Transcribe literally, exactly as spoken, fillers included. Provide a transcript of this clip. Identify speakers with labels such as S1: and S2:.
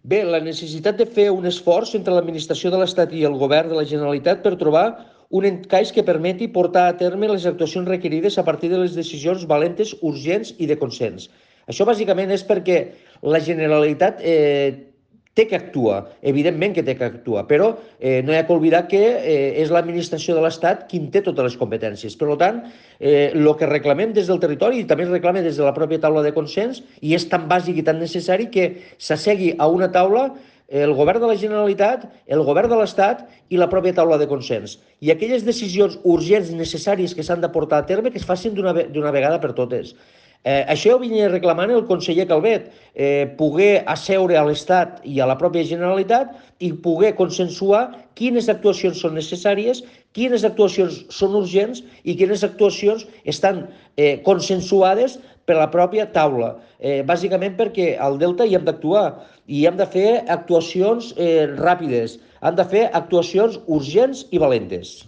S1: Bé, la necessitat de fer un esforç entre l'administració de l'Estat i el govern de la Generalitat per trobar un encaix que permeti portar a terme les actuacions requerides a partir de les decisions valentes, urgents i de consens. Això bàsicament és perquè la Generalitat eh, té que actuar, evidentment que té que actuar, però eh, no hi ha que oblidar que eh, és l'administració de l'Estat qui en té totes les competències. Per tant, eh, el que reclamem des del territori i també es reclama des de la pròpia taula de consens, i és tan bàsic i tan necessari que s'assegui a una taula el govern de la Generalitat, el govern de l'Estat i la pròpia taula de consens. I aquelles decisions urgents i necessàries que s'han de portar a terme que es facin d'una vegada per totes. Eh, això ho venia reclamant el conseller Calvet, eh, poder asseure a l'Estat i a la pròpia Generalitat i poder consensuar quines actuacions són necessàries, quines actuacions són urgents i quines actuacions estan eh, consensuades per la pròpia taula. Eh, bàsicament perquè al Delta hi hem d'actuar i hem de fer actuacions eh, ràpides, hem de fer actuacions urgents i valentes.